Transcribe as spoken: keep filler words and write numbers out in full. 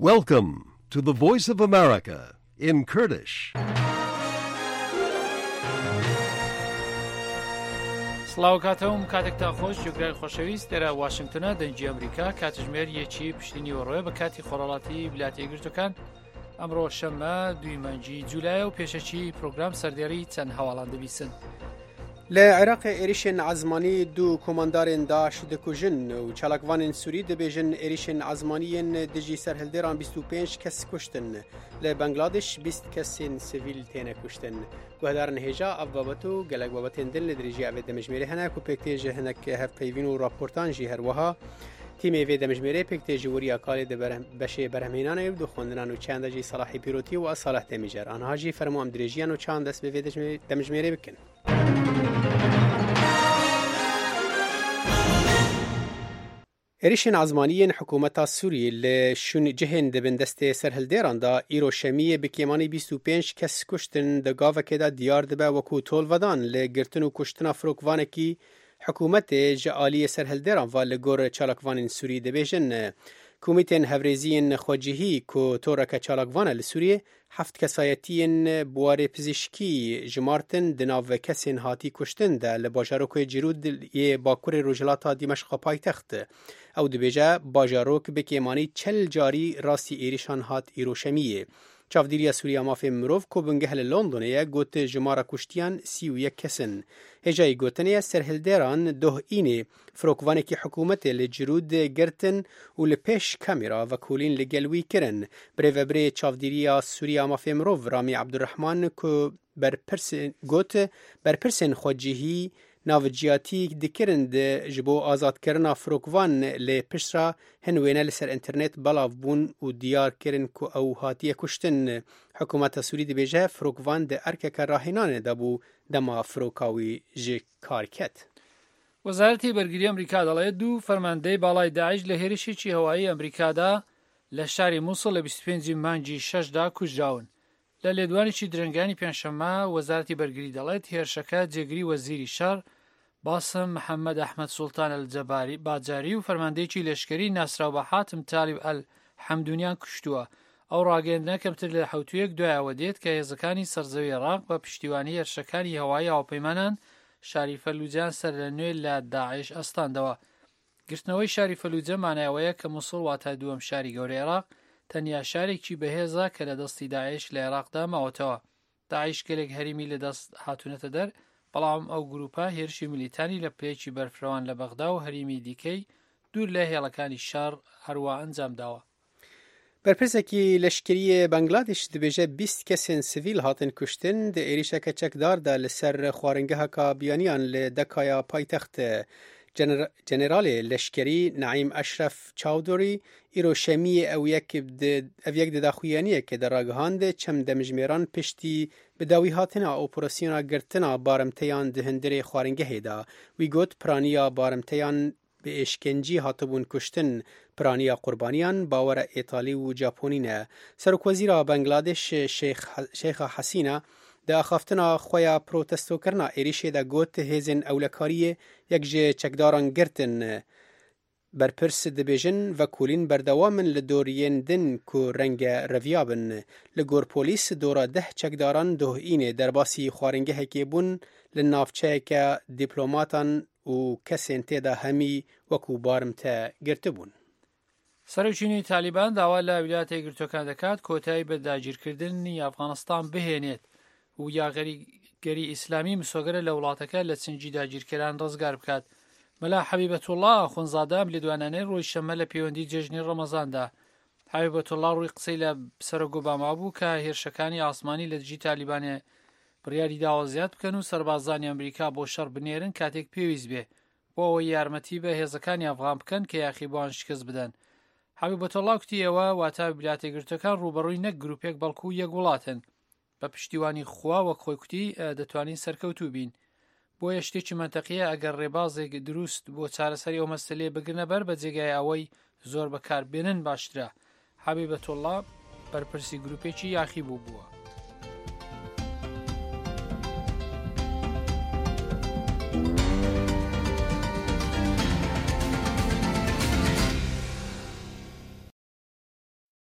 Welcome to the Voice of America in Kurdish. سڵاو کاتەوم، کاتێکتان خۆش، گوێگرای خۆشەویست. ئێرە واشنگتنە، دەنگی ئەمریکا، کاتژمێر یەکی پشتی نیوەڕۆیە بە کاتی خۆرهەڵاتی ویلایەتە یەکگرتووەکان. ئەمڕۆ شەممە، دووی مانگی جوولایە و پێشەکی پرۆگرام سەردێڕی چەند هەواڵان دەبیسن. لە عێراقێ ئێریشên ezmanî du komandarên DAIŞ dikujin û çalakvanên Sûrî dibêjin êrîşên ezmanî yên dijî serhildêran bîst û pênc kes kuştin. Li Bangladeş bîst kesên sivîl têne kuştin. Guhdarên hêja ev babet û gelek babetên din li dirêjiya vê demjimêrê hene ku pêk tê ji hinek hevpeyvîn û raportan jî her wiha. Tîmê vê demjimêrê pêk tê ji weriya kalê di berhem-, beşê berhemhênanê û di xwendinan û çayan de jî Salahî Pîrotî û ez Salih Demîcer. Aniha jî fermo em dirêjiyan û çayan dest bi vê demjimê-, demjimêrê bikin. Êrişên ezmanî yên hikûmeta Sûriyê li şûn cihên di bin destê serhildêran de îro şemiyê bi kêmanî bîst û pênc kes kuştin, di gavekê de diyar dibe wekû tolvedan li girtin û kuştina firokvanekî hikûmetê ji aliyê serhildêran ve, li gor çalakvanên Sûrî dibêjin. Komîtên Hevrêziyên Xwecihî ku toreke çalakvan e li Sûriyê, heft kesayetiyên bi warê pizîşkî jimartin di nav kesên hatî kuştin de li bajarokê Cirûd yê bakurê rojhilata Dîmeşqa paytext. Ew dibêje, bajarok bi kêmanî çel carî rastî êrişan hat îro şemiyê. Çavdîriya Sûriya Mafê Mirov ku bingeh li Londonê ye, got jimara kuştiyan sî û yek kes in. Hêjayî gotinê ye, serhildêran doh înê firokvanekî hikûmetê li Cirûd girtin û li pêş kamera vekolîn li gel wî kirin. Birêvebirê Çavdîriya Sûriya Mafê Mirov Ramî Ebdurrehman ku berpirsên, got, berpirsên xwecihî navciyatî dikirin di ji bo azadkirina firokvan, lê piştre hin wêne li ser înternet belav bûn û diyar kirin ku ew hatiye kuştin. Hikûmeta Sûrî dibêje, firokvan di erkeke rahênanê de bû dema firoka wî ji kar ket. وەزارەتی بەرگری ئەمریکا دەڵێت دوو فەرماندەی باڵای داعش لە هێرشێکی هەوایی ئەمریکادا لە شاری موسڵ لە بیست و پێنجی مانگی شەشدا کوژراون. لە لێدوانێکی درەنگانی پێنجشەممە، وەزارەتی بەرگری دەڵێت هێرشەکە جێگری وەزیری شەڕ باسم محەممەد ئەحمەد سوڵتان ئەلجەباری باجاری و فەرماندەیەکی لەشکری ناسراو بە حاتم تالیب ئەل حەمدونیان کوشتووە. ئەو ڕاگەیاندنە کەمتر لە حەوتوویەک دوایەوە دێت کە هێزەکانی سەرزەوی عێراق بە پشتیوانی هێرشەکانی هەوایی هاوپەیمانان شاری فەلوجان سەر لە نوێ لە داعش ئەستاندەوە. گرتنەوەی شاری فەلوجە مانای ئەوەیە کە موسڵ، واتە دووەم شاری گەورەی عێراق، تەنیا شارێکی بەهێزە کە لە دەستی داعش لە عێراقدا ماوەتەوە. داعش گەلێک هەریمی لە دەست هاتوونەتە دەر، بەڵام ئەو گروپە هێرشی میلیتانی لە پلەیەکی بەرفرەوان لە بەغدا و هەریمی دیکەی دوور لە هێڵەکانی شەڕ هەروە ئەنجام داوە. Berpirsek leşkerî yê Bangladeş dibêje bîst kesên sivîl hatin kuştin di êrîşeke çekdar de li ser xwaringeheka biyaniyan li Dekaya paytext. Gener-, Generalê Leşkerî Naîm Eşref Çawdurî îro şemiyê ew yek di, ev yek di daxuyaniyekê de ragihand, çem demjimêran piştî bi dawî hatina operasyona girtina barimteyan di hundirê xwaringehê de. Wî got, piraniya barimteyan bi êşkencî hatibûn kuştin, piraniya qurbaniyan bawera Îtalî û Caponî ne. Serokwezîra Bangladeş Şêx-, Şêxa Hasîna di axaftina xwe ya protestokirina êrîşê de got, hêzên ewlekariyê yek ji çekdaran girtin. Berpirs dibêjin, vekolîn berdewam in li dor yên din ku renge reviya bin. Li gor polîs, dora deh çekdaran doh înê derbasî xwaringehekê bûn, li navçeyeke dîplomatan û kesên tê de hemî wekû barimte girtibûn. سەرۆکی نوێی تالیبان داوا لە ویلایەتە یەکگرتووەکان دەکات کۆتایی بە داگیرکردنی ئەفغانستان بهێنێت و یاگەریگەری ئیسلامی مسۆگەرە لە وڵاتەکە لە چنگی داگیرکەران ڕزگار بکات. مەلا حەبیبەتوڵڵا ئاخوندزادە ئەم لێدوانانەی ڕۆژ شەممە لە پەیوەندی جێژنی ڕەمەزاندا. حەبیبەتوڵڵا ڕووی قسەی لە سەرۆک ئۆباما بوو کە هێرشەکانی ئاسمانی لە دژی تالیبانێ بڕیاری داوە زیاد بکەن و سەربازانی ئەمریکا بۆ شەڕ بنێرن کاتێک پێویست بێ، بۆ ئەوەی یارمەتی بە هێزەکانی ئەفغان بکەن کە یاخیبووان شکست بدەن. حەبیبەتوڵڵا وتی ئێوە، واتە ویلایەتە یەکگرتووەکان، ڕووبەڕووی نەک گروپێک بەڵکو یەک وڵاتن. بە پشتیوانی خوا، وەک خۆی کوتی، ئە، دەتوانین سەرکەوتوو بین. بۆیە شتێکی مەنتەقیە ئەگەر ڕێبازێک دروست بۆ چارەسەری ئەو مەسەلەیە بگرنە بەر، بە جێگای ئەوەی زۆر بەکار بێنن باشترە. حەبیبەتوڵڵا بەرپرسی گروپێکی یاخی بوو بووە.